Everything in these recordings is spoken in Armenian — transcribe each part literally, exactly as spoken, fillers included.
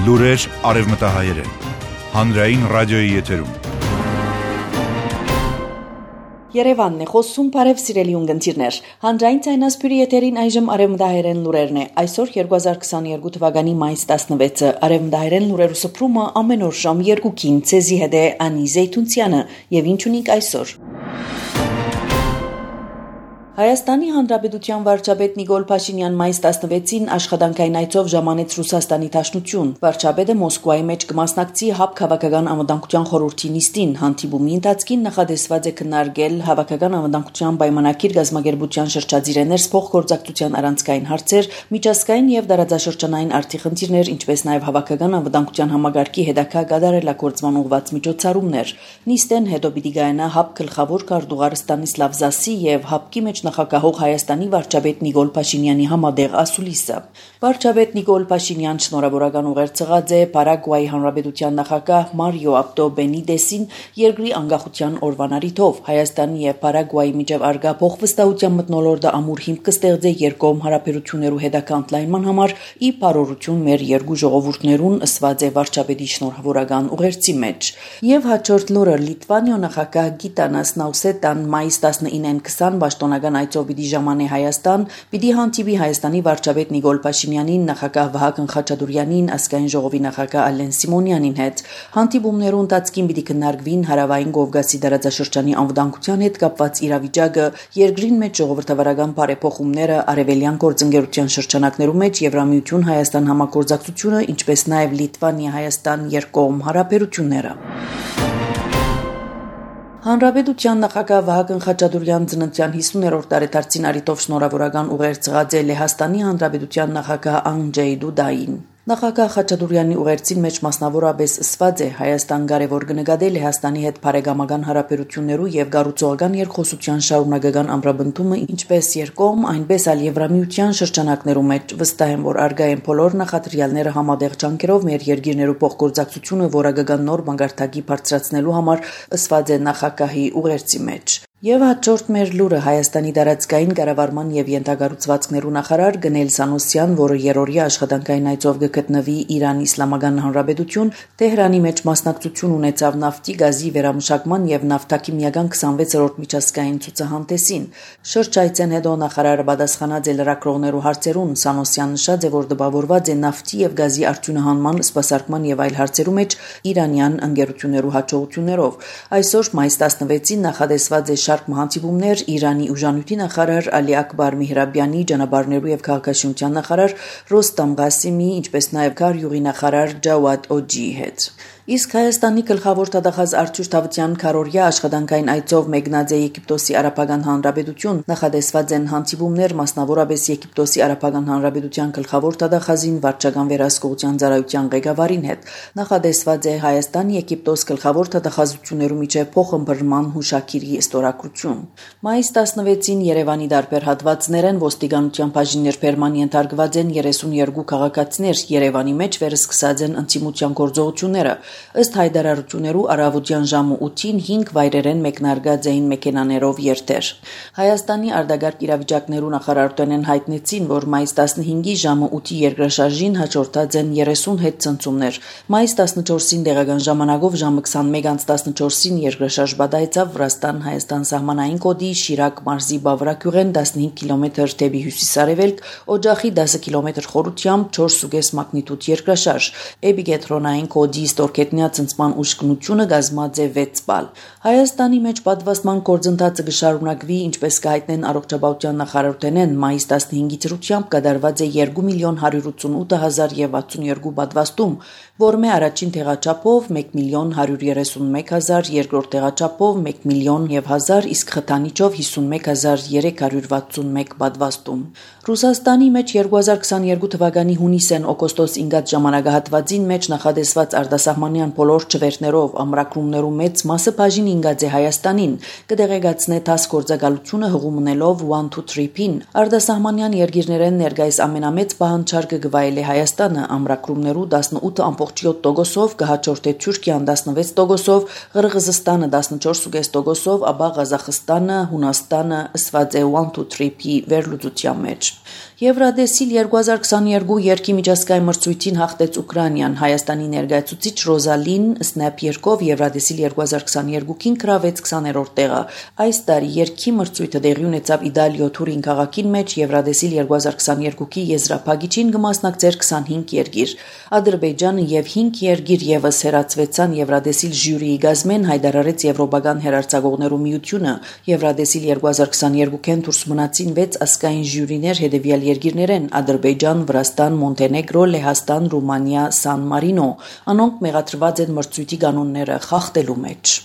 Լուրեր արևմտահայերեն, հանրային ռադիոյի եթերում։ Երևանն է խոսում, բարև սիրելի ունգընտիրներ։ Հանրային ցայնասպյուրի եթերին այժմ արևմտահայերեն լուրերն է։ Այսօր երկու հազար քսաներկու թվականի մայիս տասնվեցը արևմտահայերեն լուրերու սփռումը ամեն օր ժամ երկուքին ցեզի հետ է Անի Զեյթունցյանը եւ ինչ ունենք այսօր։ Հայաստանի Հանրապետության վարչապետ Նիկոլ Փաշինյան մայիս տասնվեցին աշխատանքային այցով ժամանեց Ռուսաստանի Դաշնություն։ Վարչապետը Մոսկվայի մեջ կմասնակցի ՀԱԲ քաղաքական անվտանգության խորհրդի նիստին։ Հանդիպումի ընթացքին նախադեсված է քննարկել հավաքական անվտանգության պայմանագիր գազམ་ագերբության շրջադիրներ փոխգործակցության առանցքային հարցեր, միջազգային եւ դարաձաշրջանային արդի խնդիրներ, ինչպես նաեւ հավաքական անվտանգության համագարկի հետագա կատարելագործման ուղղված միջոցառումներ։ Նիստեն հետո պիտի գայանա ՀԱԲ գլխավոր քարտուղար Ստանիսլավ Զասի եւ ՀԱԲ-ի մեջ նախագահող Հայաստանի վարչապետ Նիկոլ Փաշինյանի համատեղ ասուլիսը։ Վարչապետ Նիկոլ Փաշինյան շնորհավորական ուղեր ցղած է Պարագվայի Հանրապետության նախագահ Մարիո Աբդո Բենիդեսին երկրի անկախության օրվան առիթով Հայաստանի եւ Պարագվայի միջև արգա փոխվստահության մթնոլորտը ամուր հիմք կստեղծե երկկողմ հարաբերություններու հետագա ընդլայնման համար ի բարօրություն մեր երկու ժողովուրդներուն ըսված է վարչապետի շնորհավորական ուղերձի մեջ։ Եվ հաջորդ լուրը Լիտվանիո նախագահ Գիտանաս Նաուսետան մայիս տասնինին քսան պաշտոնական այցով պիտի ժամանե Հայաստան, պիտի հանդիպի Հայաստանի վարչապետ Նիկոլ Փաշինյանին, նախագահ Վահագն Խաչատուրյանին, ազգային ժողովի նախագահ Ալեն Սիմոնյանին հետ։ Հանդիպումներու ընթացքին պիտի քննարկվին հարավային Կովկասի դարաձաշրջանի անվտանգության հետ կապված իրավիճակը, երկրին մեջ ժողովրդավարական բարեփոխումները, արևելյան գործընկերության շրջանակներու մեջ Եվրամիություն Հայաստան համագործակցությունը, ինչպես նաև Լիտվանիա-Հայաստան երկկողմ հարաբերությունները։ Հանրապետության նախագահ Վահագն Խաչատուրյան ծննդյան հիսուներորդ տարեդարձին առիթով շնորհավորական ուղեր ցղած է Լեհաստանի Հանրապետության նախագահ Անդրեյ Դուդային։ Նախագահ Խաչատուրյանի ուղերձին մեջ մասնավորապես ըսված է Հայաստան կարևոր կնկատե Լեհաստանի հետ բարեկամական հարաբերություններու եւ գառուցողական երկխոսության շարունակական ամրապնդումը, ինչպես երկկողմ, այնպես էլ Եվրամիության շրջանակներու մեջ վստահ եմ, որ արգա են բոլոր նախադրյալները համատեղ ջանքերով մեր երկիրներու փոխգործակցությունը որակական նոր մագարտակի բարձրացնելու համար ըսված է նախագահի ուղերձի մեջ։ Եվ հաջորդ մեր լուրը Հայաստանի դարածքային կառավարման եւ յենթագառուցվածքներու նախարար Գնել Սանոսյան, որը երրորդյա աշխատանքային այցով գտնվի Իրանի Իսլամական Հանրապետություն, Թեհրանի մեջ մասնակցություն ունեցավ նավթի, գազի վերամշակման եւ նավթաքիմիական քսանվեցերորդ միջազգային ցուցահանդեսին։ Շրջայցեն հետո նախարարը պատասխանած է լրագրողներու հարցերուն։ Սանոսյան նշած է, որ դպավորված է նավթի եւ գազի արդյունահանման, սպասարկման եւ այլ հարցերու մեջ իրանյան ընկերություններու հաջողություններով։ Այսօր մայիս տասնվեցին նախադեсված է շարք մահանցիվումներ Իրանի ուժանույթի նախարար Ալի Ակբար Միհրաբյանի, ճանապարհներու եւ քաղաքաշինության նախարար Ռոստամ Ղասիմի, ինչպես նաեւ Գարյուղի նախարար Ջավադ Օջիի հետ։ Իսկ Հայաստանի գլխավոր դատախազ Արթուր Թավթյան քառօրյա աշխատանքային այցով մեկնած է Եգիպտոսի Արաբական Հանրապետություն, նախադեсված են հանդիպումներ մասնավորապես Եգիպտոսի Արաբական Հանրապետության գլխավոր դատախազին վարչական վերահսկողության ծառայության ղեկավարին հետ։ Նախադեсված է Հայաստան-Եգիպտոս գլխավոր դատախազություններու միջև փոխըմբռնման հուշագիրի ստորագրություն։ Մայիս տասնվեցին Երևանի դարբեր հատվածներեն ոստիկանության բաժիններ ֆերման ենթարկված են երեսունյոթ քաղաքացիներ, Երևանի մեջ վերսկսած են ընտիմության գործողությունները։ Ըստ հայտարարություններու առավոտյան ժամը ութին հինգ վայրերեն մեկնարկած էին մեքենաներով երթեր։ Հայաստանի արտագաղթ իրավիճակներու նախարարությունն հայտնեցին, որ մայիս տասնհինգի ժամը ութի երկրաշարժին հաջորդած են երեսուն հետ ցնցումներ։ Մայիս տասնչորսին տեղական ժամանակով ժամը քսանմեկ անց տասնչորսին երկրաշարժ բադայեցավ Վրաստան-Հայաստան սահմանային կոդի Շիրակ մարզի Բավրակյուղեն տասնհինգ կիլոմետր դեպի հյուսիսարևելք, օջախի դասը կիլոմետր խորությամբ չորս զուգ մագնիտուդ երկրաշարժ։ Էպիկենտրոնային կոդի ստորգետնյա ցնցման ուշքնությունը գազմած է վեց բալ։ Հայաստանի մեջ պատվաստման գործընթացը կշարունակվի, ինչպես կհայտնեն առողջապահության նախարարությունն մայիս տասնհինգի դրությամբ կատարված է երկու միլիոն հարյուր ութսունութ հազար եւ վաթսունյոթ պատվաստում, որմե առաջին տեղաչափով մեկ միլիոն հարյուր երեսունմեկ հազար, երկրորդ տեղաչափով մեկ միլիոն եւ հազար, իսկ խթանիչով հիսունմեկ հազար երեք հարյուր վաթսունմեկ պատվաստում։ Ռուսաստանի մեջ երկու հազար քսաներկու թվականի հունիսեն օգոստոս ինգած ժամանակահատվածին մեջ նախադեсված արտասահմանների սահմանյան բոլոր չվերթներով ամրագրումներու մեծ մասը բաժին ինգած է Հայաստանին, կդեղեկացնե տաս գործակալությունը հղումնելով one two three P-ին, արտասահմանյան երկիրներեն ներկայիս ամենամեծ պահանջարկը գվայել է Հայաստանը, ամրագրումներու տասնութ ամբողջ յոթ տոկոսով, կհաջորդե Թուրքիան տասնվեց տոկոսով, Ղրղզստանը տասնչորս կես տոկոսով, ապա Ղազախստանը, Հունաստանը ըսված է one two three P վերլուծության մեջ։ Եվրադեսիլ երկու հազար քսաներկու երկի միջազգային մրցույթին հաղթեց Ուկրաինան, Հայաստանի ներկայացուցիչ Ռոզալին Սնեփ երկով Եվրադեսիլ երկու հազար քսաներկուին գրավեց քսաներորդ տեղը։ Այս տարի երկի մրցույթը տեղի ունեցավ Իտալիո Թուրին քաղաքին մեջ Եվրադեսիլ երկու հազար քսաներկուի եզրափակիչին կմասնակցեր քսանհինգ երկիր։ Ադրբեջանը եւ հինգ երկիր եւս հերացվեցան Եվրադեսիլ ժյուրիի գազմեն, հայտարարեց Եվրոպական հերարցակողներու միությունը։ Եվրադեսիլ երկու հազար քսաներկուին դուրս մնացին վեց ազգային ժյուրիներ հետևյալ երկիրներեն Ադրբեջան, Վրաստան, Մոնտենեգրո, Լեհաստան, Ռումանիա, Սան Մարինո, անոնք մեղադրված են մրցույթի կանոնները խախտելու մեջ։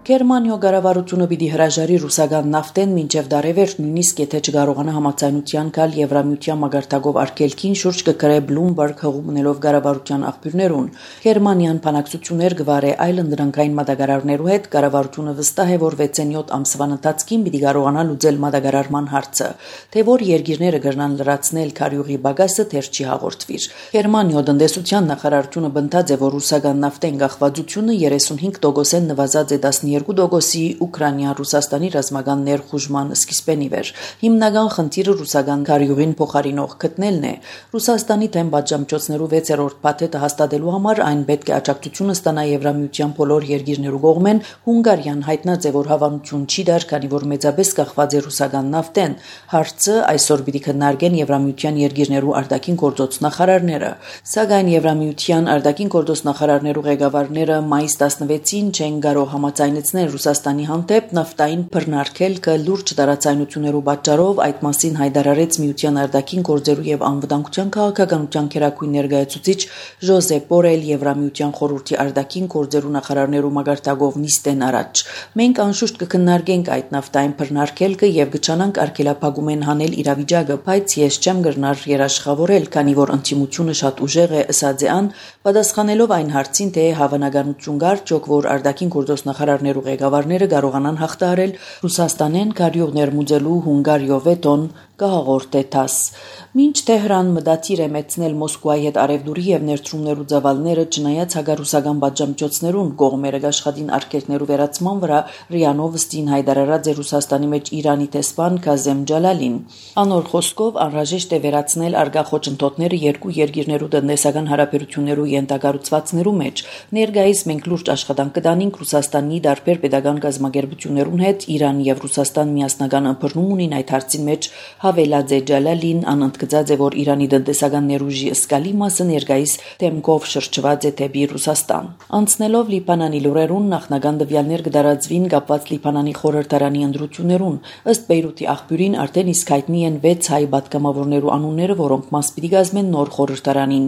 Գերմանիո կառավարությունը պիտի հրաժարի ռուսական նավթեն մինչև դարևեր նույնիսկ եթե չկարողանա համաձայնության գալ Եվրամիության մագարտակով արգելքին շուրջ կգրե Bloomberg հղումնելով կառավարության աղբյուրներուն։ Գերմանիան բանակցություններ կվարե այլ ընդրանքային մատակարարներու հետ, կառավարությունը վստահ է, որ վեցենյոթ ամսվան ընթացքին պիտի կարողանա լուծել մատակարարման հարցը, թե որ երկիրները կրնան լրացնել քարյուղի բագասը թեր չի հաղորդվիր։ Գերմանիո տնտեսության նախարարությունը բնդած է, որ ռուսական նավթեն կախվածությունը երեսունհինգ տոկոսեն նվազած է տասնյոթ տոկոսի Ուկրաինա Ռուսաստանի ռազմական ներխուժման սկիզբեն ի վեր։ Հիմնական խնդիրը ռուսական քարյուղին փոխարինող գտնելն է։ Ռուսաստանի դեմ պատժամիջոցներու վեցերորդ փաթեթը հաստատելու համար այն պետք է աջակցությունը ստանա Եվրամիության բոլոր երկիրներու կողմեն։ Հունգարիան հայտնած է, որ հավանություն չի դար, քանի որ մեծապես կախված է ռուսական նավթեն։ Հարցը այսօր պիտի քննարկեն Եվրամիության երկիրներու արտաքին գործոց նախարարները։ Սակայն Եվրամիության արտաքին գործոց նախարարներու ղեկավարները մայիս տասնվեցին չեն կարող համաձայնեցնել Ռուսաստանի հանդեպ նավթային բռնարկելքը լուրջ տարածայնություններու պատճառով այդ մասին հայտարարեց Միության արտաքին գործերու եւ անվտանգության քաղաքականության քերակույն ներկայացուցիչ Ժոզեփ Բորել Եվրամիության խորհրդի արտաքին գործերու նախարարներու մագարտակով նիստեն առաջ։ Մենք անշուշտ կքննարկենք այդ նավթային բռնարկելքը եւ կչանանք արգելափակումեն հանել իրավիճակը, բայց ես չեմ գրնար երաշխավորել, քանի որ ընդդիմությունը շատ ուժեղ է, ըսած է ան, պատասխանելով այն հարցին, թե հավանականություն կար, որ արտաքին գործոց նախարարներու ղեկավարները կարողանան հաղթահարել Ռուսաստանեն քարյուղ ներմուծելու Հունգարիո վետոն կհաղորդե տաս։ Մինչ Թեհրան մտադիր է մեծնել Մոսկվայի հետ արևդուրի եւ ներդրումներու ծավալները, չնայած հագարուսական պատժամիջոցներուն կողմերը աշխատին արգելքներու վերացման վրա, ՌԻԱ Նովոստին հայտարարած է Ռուսաստանի մեջ Իրանի տեսփան Քազեմ Ջալալին։ Անոր խոսքով անհրաժեշտ է վերացնել արգա խոչընդոտները երկու երկիրներու տնտեսական հարաբերություններու ենթակառուցվածքներու մեջ։ Ներկայիս մենք լուրջ աշխատանք կդանենք Ռուսաստանի դարբեր պետական գազམ་ագերբություններուն հետ, Իրան եւ Ռուսաստան միասնական ըմբռնում ունին այդ հարցի մեջ, հավելած է Ջալալին, անընդգծած է, որ Իրանի տնտեսական ներուժի ըսկալի մասը ներկայիս թեմքով շրջված է դեպի Ռուսաստան։ Անցնելով Լիբանանի լուրերուն, նախնական տվյալներ կդարածվին կապված Լիբանանի խորհրդարանի ընտրություններուն, ըստ Բեյրութի աղբյուրին արդեն իսկ հայտնի են վեց հայ պատգամավորներու անունները, որոնք մաս պիտի կազմեն նոր խորհրդարանին։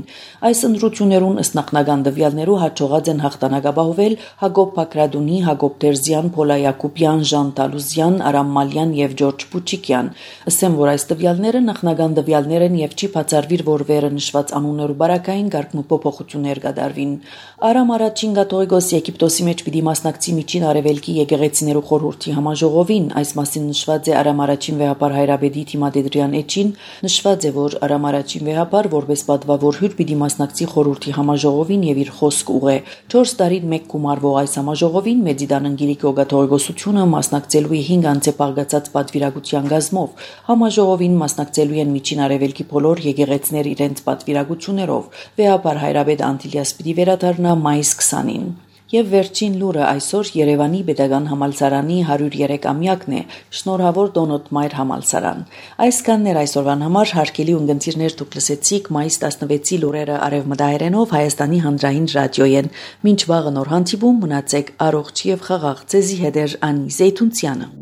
Այս ընտրություններուն ըստ նախնական տվյալներու հաջողած են հաղթանակապահովել Հակոբ Բակրադունի, Հակոբ Դերզյան, Փոլա Յակոբյան, Ժան Տալուզյան, Արամ Մալյան եւ Ջորջ Պուչիկյան։ Ասեմ, որ այս տվյալները նախնական տվյալներ են եւ չի բացառվիր, որ վերը նշված անուններու բարակային կարգ փոփոխություններ կդարվին։ Արամ առաջին կաթողիկոս Եգիպտոսի մեջ պիտի մասնակցի միջին արևելքի եկեղեցիներու խորհրդի համաժողովին, այս մասին նշված է Արամ առաջին վեհապար Հայրաբեդի Թիմադեդրյան էջին, նշված է, որ Արամ առաջին վեհապար որպես պատվավոր հյուր պիտի մասնակցի խորհրդի համաժողովին եւ իր խոսք ուղղե։ չորս տարին մեկ գումարվող այս համաժողովին Մեծիդան Անգելիկո կաթողիկոսությունը մասնակցելու է հինգ անձե պարգացած պատվիրակության գազմով։ Համաժողովին մասնակցելու են միջին արևելքի բոլոր եկեղեցիներ իրենց պատվիրակություններով։ Վեհապար Հայրաբեդ Անտիլիաս պիտի վերադառնա մայիս քսանին։ Եվ վերջին լուրը այսօր Երևանի Պետական համալսարանի հարյուր երեք-ամյակն է, շնորհավոր Դոնոտ Մայր համալսարան։ Այսքանն էր այսօրվան համար, հարգելի ունգընտիրներ, դուք լսեցիք մայիս տասնվեցի լուրերը արևմտահայերենով Հայաստանի հանրային ռադիոյեն։ Մինչ վաղը նոր հանդիպում, մնացեք առողջ եւ խաղաղ, ձեզի հետ է Անի Զեյթունցյանը։